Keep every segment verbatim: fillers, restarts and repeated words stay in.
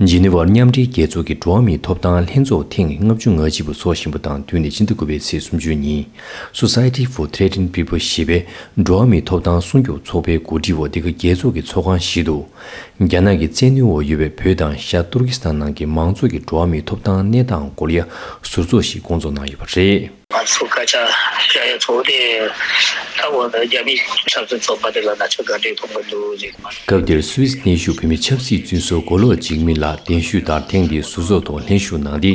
ཇི་ནི་ཝར་མཉམ་འབྲེལ་རྒྱལ་ཚོགས་ཀྱི་འགྲོ་བ་མིའི་ཐོབ་ཐང་ལྷན་ཚོགས་ཐེངས་ལྔ་བཅུ་ང་གཅིག་པ་འཚོགས་བཞིན་པ་དང་བསྟུན་ནས་ཕྱི་ཟླ་དགུ་པའི་ཚེས་སུམ་ཅུ་ཉིན། Society for Threatened People ཞེས་པའི་འགྲོ་བ་མིའི་ཐོབ་ཐང་སྲུང་སྐྱོབ་ཚོགས་པའི་གོ་སྒྲིག་འོག་འདི་ག་རྒྱལ་ཚོགས་ཀྱི་ཚོགས་ཁང་ཞིག་ཏུ། རྒྱ་ནག་གི་བཙན་གནོན་འོག་ཡོད་པའི་བོད་དང་ཤར་ཏུར་ཀི་སི་ཐན་ནང་གི་མང་ཚོགས་ཀྱི་འགྲོ་བ་མིའི་ཐོབ་ཐང་གནས་སྟངས་སྐོར་ལ་ཟུར་ཚོགས་ཤིག་བསྐོང་ཚོགས་གནང་ཡོད་པ་རེད། ང་ཚོ་སྐད་ཆ་བཤད་ཡ་ཚོ་དེ་ད་འོ་ན་རྒྱ་མིའི་ཆབ་སྲིད་ཚོགས་པ་དེ་ལ་ན་ཆོས་ག་འདྲས་མཐོང་གི་འདུག་ཅེས། སྐབས་དེར་སུད་སི་གནས་བཞུགས་བོད་མི་ཆབ་སྲིད་བཙོན་ཟུར་མགོ་ལོག་འཇིགས་མེད་ལགས་གདན་ཞུས་ལྟར་ཐེངས་འདིའི་ཟུར་ཚོགས་ཐོག་ལྷན་ཞུགས་གནང་སྟེ།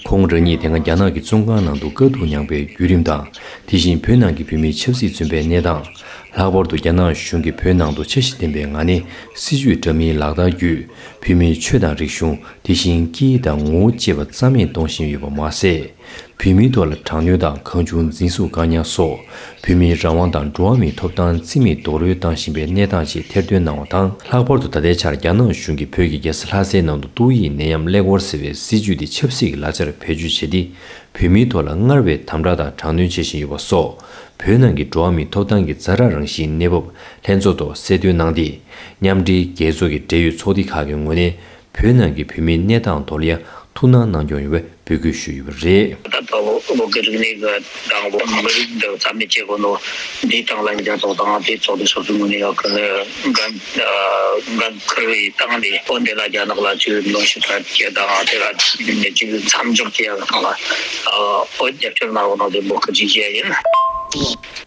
ཁོང་རང་ཉིད་དེ་སྔ་རྒྱ་ནག་གི་བཙོན་ཁང་ནང་དུ་དཀའ་སྡུག་མྱངས་པའི་བརྒྱུད་རིམ་དང་། དེ་བཞིན་བོད་ནང་གི་བོད་མི་ཆབ་སྲིད་བཙོན་པའི་གནས་སྟངས། ལྷག་པར་དུ་རྒྱ་ནག་གཞུང་གིས་བོད་ནང་དུ་འཆར་གཞི་ལྡན་པའི་ངང་ནས་སྲིད་བྱུས་འདྲ་མིན་ལག་བསྟར་བརྒྱུད། བོད་མིའི་ཆོས་དང་རིག་གཞུང་། དེ་བཞིན་སྐད་ཡིག་དང་ངོ་བོ་བཅས་པ་རྩ་མེད་གཏོང་བཞིན་ཡོད་པ་མ་ཟད། བོད་མིའི་ཐོག་ལ་དྲག་གནོན་དང་གང་བྱུང་འཛིན་བཟུང་བཀག་ཉར་སོགས། བོད་མིའི་རང་དབང་དང་འགྲོ་བ་མིའི་ཐོབ་ཐང་རྩིས་མེད་རྡོག་རོལ་བཏང་བཞིན་པའི་གནས་སྟངས་ཤིག་ཐེར་འདོན་གནང་བ་དང་། ལྷག་པར་དུ་ད་ལྟའི་ཆར་རྒྱ་ནག་གཞུང་གིས་བོད་ཀྱི་རྒྱལ་ས་ལྷ་སའི་ནང་དུ་ཏོག་དབྱིབས་ནད་ཡམས་ཀླད་ཀོར་ཟེར་བའི་སྲིད་ཇུས་དེ་ཆབ་སྲིད་ཀྱི་ལག་ཆར་བེད་སྤྱོད་བྱས་ཏེ། བོད་མིའི་ཐོག་ལ་སྔར་བས་དམ་དྲག་དང་དྲག་གནོན་བྱེད་བཞིན་ཡོད་པ་སོགས། བོད་ནང་གི་འགྲོ་བ་མིའི་ཐོབ་ཐང་གི་ཛ་དྲག་རང་བཞིན་གནས་བབ་ལྷན་ཚོགས་ཐོག་གསལ་སྟོན་གནང་སྟེ། མཉམ་འབྲེལ་རྒྱལ་ཚོགས་ཀྱི་འབྲེལ་ཡོད་ཚོགས་སྡེ་ཁག་གི་ངོས་ནས། བོད་ནང་གི་བོད་མིའི་གནས་སྟངས་ཐོག་ལ་ཡང་ཐུགས་སྣང་གནང་སྐྱོང་ཡོང་བའི་འབོད་སྐུལ་ཞུས་ཡོད་པ་རེད། ད་ལྟ་བོད་ཀྱི་རིག་གནས་ཀྱི་དང་བོད་མི་རིགས་འདི་རྩ་མེད་བྱེད་དགོས་ནོ་འདིའི་སྟེང་ལ་རྒྱལ་ཚོགས་དང་དེའི་ཚོགས་སྡེ་སོ་སོའི་ངོས་ནས་ཡང་ཀུན་ནས་འགན་འགན་འཁུར་བའི་སྟེང་ནས་འོ་འདི་ལ་རྒྱ་ནག་ལ་ཅིག་གནོན་ཤུགས་སྤྲད་རྒྱུ་དང་དེ་ལ་ཅིག་མཚམས་འཇོག་བྱེད་ཡག་སྟེང་ལ་འོ་རྒྱབ་སྐྱོར་གནང་རོགས་གནང་དེ་འབོད་སྐུལ་ཅིག་བྱས་ཡིན།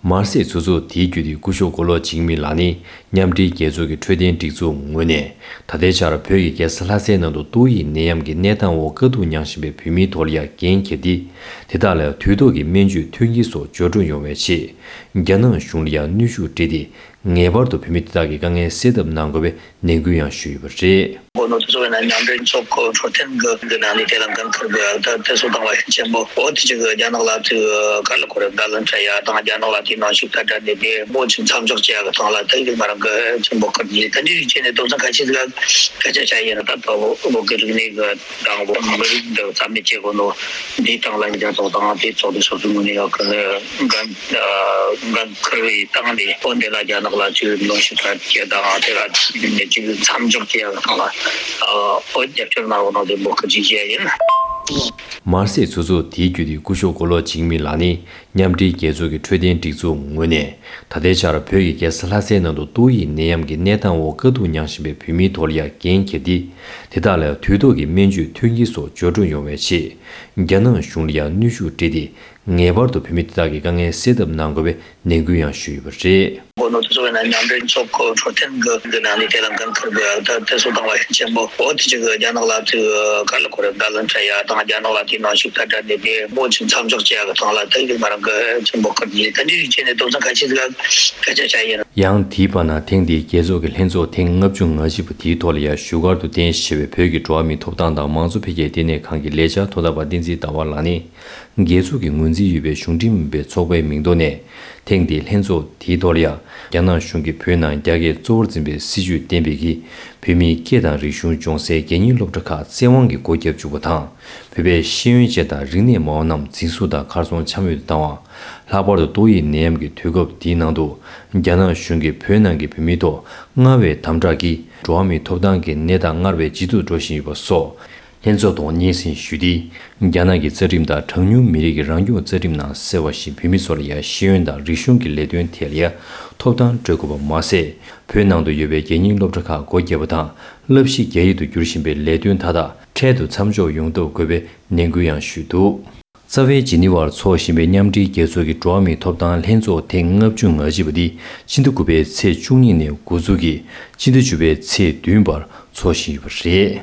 མར་སེ་ཚོགས་གཙོ་དེའི་བརྒྱུད་དེ་སྐུ་ཞབས་མགོ་ལོག་འཇིགས་མེད་ལགས་ནི། མཉམ་འབྲེལ་རྒྱལ་ཚོགས་ཀྱི་འཕྲོད་བསྟེན་སྒྲིག་འཛུགས་ངོས་ནས། ད་ལྟའི་ཆར་བོད་ཀྱི་རྒྱལ་ས་ལྷ་སའི་ནང་དུ་ཏོག་དབྱིབས་ནད་ཡམས་ཀྱི་གནས་སྟངས་འོག་དཀའ་སྡུག་མྱངས་བཞིན་པའི་བོད་མིའི་ཐོག་ལ་ཡང་འགན་འཁྱེར་ཏེ། དེ་དག་ལ་དུས་ཐོག་གི་སྨན་བཅོས་མཐུན་རྐྱེན་སོགས་འབྱོར་འགྲོ་ཡོང་བའི་ཆེད། རྒྱ་ནག་གཞུང་ལ་ཡང་གནོན་ཤུགས་སྤྲད་དེ། ངེས་པར་དུ་བོད་མི་དེ་དག་གི་དཀའ་ངལ་སེལ་ཐབས་གནང་དགོས་པའི་ནན་སྐུལ་ཡང་ཞུས་ཡོད་པ་རེད། འོ་ནོ་དེ་ཚོ་བས་ན་མཉམ་འབྲེལ་ཚོགས་འཁོར་འཕྲོད་བསྟེན་གྱི་གི་ནང་ནས་དེ་ལ་འགན་འཁུར་དགོས་ཡག་ད་དེ་ཚོ་དང་བ་ཤིང་ཆེན་པོ་འོ་དེ་ཅིག་གི་རྒྱ་ནག་ལ་དེ་ག་ལ་ཁོ་རེ་བརྡ་ལན་སྤྲད་ཡག་དང་རྒྱ་ནག་ལ་དེ་ནང་ཞིག་ད་ད་ནས་དེ་མོ་ཅིག་མཚམས་འཇོག་བྱེད་ཡག་གི་ཐོག་ལ་ད་ཡིག་མ་རང་གི་ཆེན་པོ་ཁུར་གྱིས་ད་འདི་རིགས་བྱས་ནས་དོ་སྣང་ག་ཅི་ཟིག་སྐད་ཆ་བཤད་ཡིན་ན། ད་ལྟ་བོད་ཀྱི་རིག་གནས་ཀྱི་དང་བོད་མི་རིགས་འདི་རྩ་མེད་བྱེད་དགོས་ནོ་འདིའི་སྟེང་ལ་རྒྱལ་ཚོགས་དང་དེའི་ཚོགས་སྡེ་སོ་སོའི་ངོས་ནས་ཡང་ཀུན་ནས་འགན་འགན་འཁུར་བའི་སྟེང་ནས་འོ་འདི་ལ་རྒྱ་ནག་ལ་ཅིག་གནོན་ཤུགས་སྤྲད་རྒྱུ་དང་དེ་ལ་ཅིག་མཚམས་འཇོག་བྱེད་ཡག་སྟེང་ལ་འོ་རྒྱབ་སྐྱོར་གནང་རོགས་གནང་དེ་འབོད་སྐུལ་ཅིག་བྱས་ཡིན། མར་སེ་ཚོགས་གཙོ་དེའི་བརྒྱུད་དེ་སྐུ་ཞབས་མགོ་ལོག་འཇིགས་མེད་ལགས་ནི། མཉམ་འབྲེལ་རྒྱལ་ཚོགས་ཀྱི་འཕྲོད་བསྟེན་སྒྲིག་འཛུགས་ངོས་ནས། ད་ལྟའི་ཆར་བོད་ཀྱི་རྒྱལ་ས་ལྷ་སའི་ནང་དུ་ཏོག་དབྱིབས་ནད་ཡམས་ཀྱི་གནས་སྟངས་འོག་དཀའ་སྡུག་མྱངས་བཞིན་པའི་བོད་མིའི་ཐོག་ལ་ཡང་འགན་འཁྱེར་ཏེ། དེ་དག་ལ་དུས་ཐོག་གི་སྨན་བཅོས་མཐུན་རྐྱེན་སོགས་འབྱོར་འགྲོ་ཡོང་བའི་ཆེད། རྒྱ་ནག་གཞུང་ལ་ཡང་གནོན་ཤུགས་སྤྲད་དེ། ངེས་པར་དུ་བོད་མི་དེ་དག་གི་དཀའ་ངལ་སེལ་ཐབས་གནང་དགོས་པའི་ནན་སྐུལ་ཡང་ཞུས་ཡོད་པ་རེད། འོ་ནོ་དེ་ཚོ་བས་ན་མཉམ་འབྲེལ་ཚོགས་འཁོར་འཕྲོད་བསྟེན་གྱི་གི་ནང་ནས་དེ་ལ་འགན་འཁུར་དགོས་ཡག་ད་དེ་ཚོ་དང་བ་ཤིང་ཆེན་པོ་འོ་དེ་ཅིག་གི་རྒྱ་ནག་ལ་དེ་ག་ལ་ཁོ་རེ་བརྡ་ལན་སྤྲད་ཡག་དང་རྒྱ་ནག་ལ་དེ་ནང་ཞིག་ད་ད་ནས་དེ་མོ་ཅིག་མཚམས་འཇོག་བྱེད་ཡག་གི་ཐོག་ལ་ད་ཡིག་མ་རང་གི་ཆེན་པོ་ཁུར་གྱིས་ད་འདི་རིགས་བྱས་ནས་དོ་སྣང་ག་ཅི་ཟིག་སྐད་ཆ་བཤད་ཡིན། ཡང་དེའི་བར་ན་ཐེངས་འདིའི་རྒྱལ་ཚོགས་ཀྱི་ལྷན་ཚོགས་ཐེངས་ལྔ་བཅུ་ང་གཅིག་པ་དེའི་ཐོག་ལ་ཡང་བཞུགས་སྒར་དུ་རྟེན་གཞི་བྱས་པའི་བོད་ཀྱི་འགྲོ་བ་མིའི་ཐོབ་ཐང་དང་མང་གཙོ་འཕེལ་རྒྱས་ལྟེ་གནས་ཁང་གི་ལས་འཆར་དོ་བདག་པ་བསྟན་འཛིན་ཟླ་བ་ལགས་ནི། རྒྱལ་ཚོགས་ཀྱི་ངོས་འཛིན་ཡོད་པའི་གཞུང་འབྲེལ་མིན་པའི་ཚོགས་པའི་མིང་ཐོག་ནས། ཐེངས་འདིའི་ལྷན་ཚོགས་དེའི་ཐོག་ལ་ཡང་། རྒྱ་ནག་གཞུང་གིས་བོད་ནང་རྒྱ་སྐད་གཙོ་བོར་འཛིན་པའི་སྲིད་བྱུས་བསྟན་པའི་གིས། བོད་མིའི་སྐད་དང་རིག་གཞུང་སྦྱོང་སའི་རྒྱལ་གཉེར་སློབ་གྲྭ་ཁག་བཙན་དབང་གིས་སྒོ་བརྒྱབ་བཅུག་པ་དང་། བོད་པའི་ཤེས་ཡོན་ཅན་དང་རིག་གནས་མང་བོ་རྣམས་འཛིན་བཟུང་དང་གར་སོང་འཁྱམ་ཡུལ་དུ་བཏང་བ། ལྷག་པར་དུ་ཏོག་དབྱིབས་ནད་ཡམས་ཀྱི་དུས་སྐབས་འདིའི་ནང་དུ། རྒྱ་ནག་གཞུང་གིས་བོད་ནང་གི་བོད་མིའི་ཐོག་སྔར་བས་དམ་དྲག་གིས་འགྲོ་བ་མིའི་ཐོབ་ཐང་གི་གནས་སྟངས་སྔར་བས་ཇེ་སྡུག་འགྲོ་བཞིན་ཡོད་པ་སོགས། ལྷན་ཚོགས་ཐོག་སྙན་སེང་ཞུས་ཏེ། རྒྱ་ནག་གི་རྩ་ཁྲིམས་དང་གྲངས་ཉུང་མི་རིགས་ཀྱི་རང་སྐྱོང་རྩ་ཁྲིམས་ནང་གསལ་བ་བཞིན་བོད་མི་ཚོ་ལ་ཡང་ཤེས་ཡོན་དང་རིག་གཞུང་གི་ལས་དོན་ཐད་ལ་ཡང་ཐོབ་ཐང་སྤྲོད་དགོས་པ་མ་ཟད། བོད་ནང་དུ་ཡོད་པའི་རྒྱལ་གཉེར་སློབ་གྲྭ་ཁག་སྒོ་བརྒྱབ་པ་དང་བསླབ་གཞི་རྒྱ་ཡིག་ཏུ་བསྒྱུར་བཞིན་པའི་ལས་དོན་མཐའ་དག་འཕྲལ་དུ་མཚམས་འཇོག་ཡོང་ཐབས་དགོས་པའི་ནན་སྐུལ་ཡང་ཞུས་འདུག། རྩ་བའི་ཇི་ནི་ཝར་འཚོགས་བཞིན་པའི་མཉམ་འབྲེལ་རྒྱལ་ཚོགས་ཀྱི་འགྲོ་བ་མིའི་ཐོབ་ཐང་ལྷན་ཚོགས་ཐེངས་ལྔ་བཅུ་ང་གཅིག་པ་འདི་ཕྱི་ཟླ་དགུ་པའི་ཚེས་བཅུ་གཉིས་ནས་འགོ་འཛུགས་ཀྱིས་ཕྱི་ཟླ་བཅུ་པའི་ཚེས་བདུན་བར་འཚོགས་བཞིན་ཡོད་པ་རེད།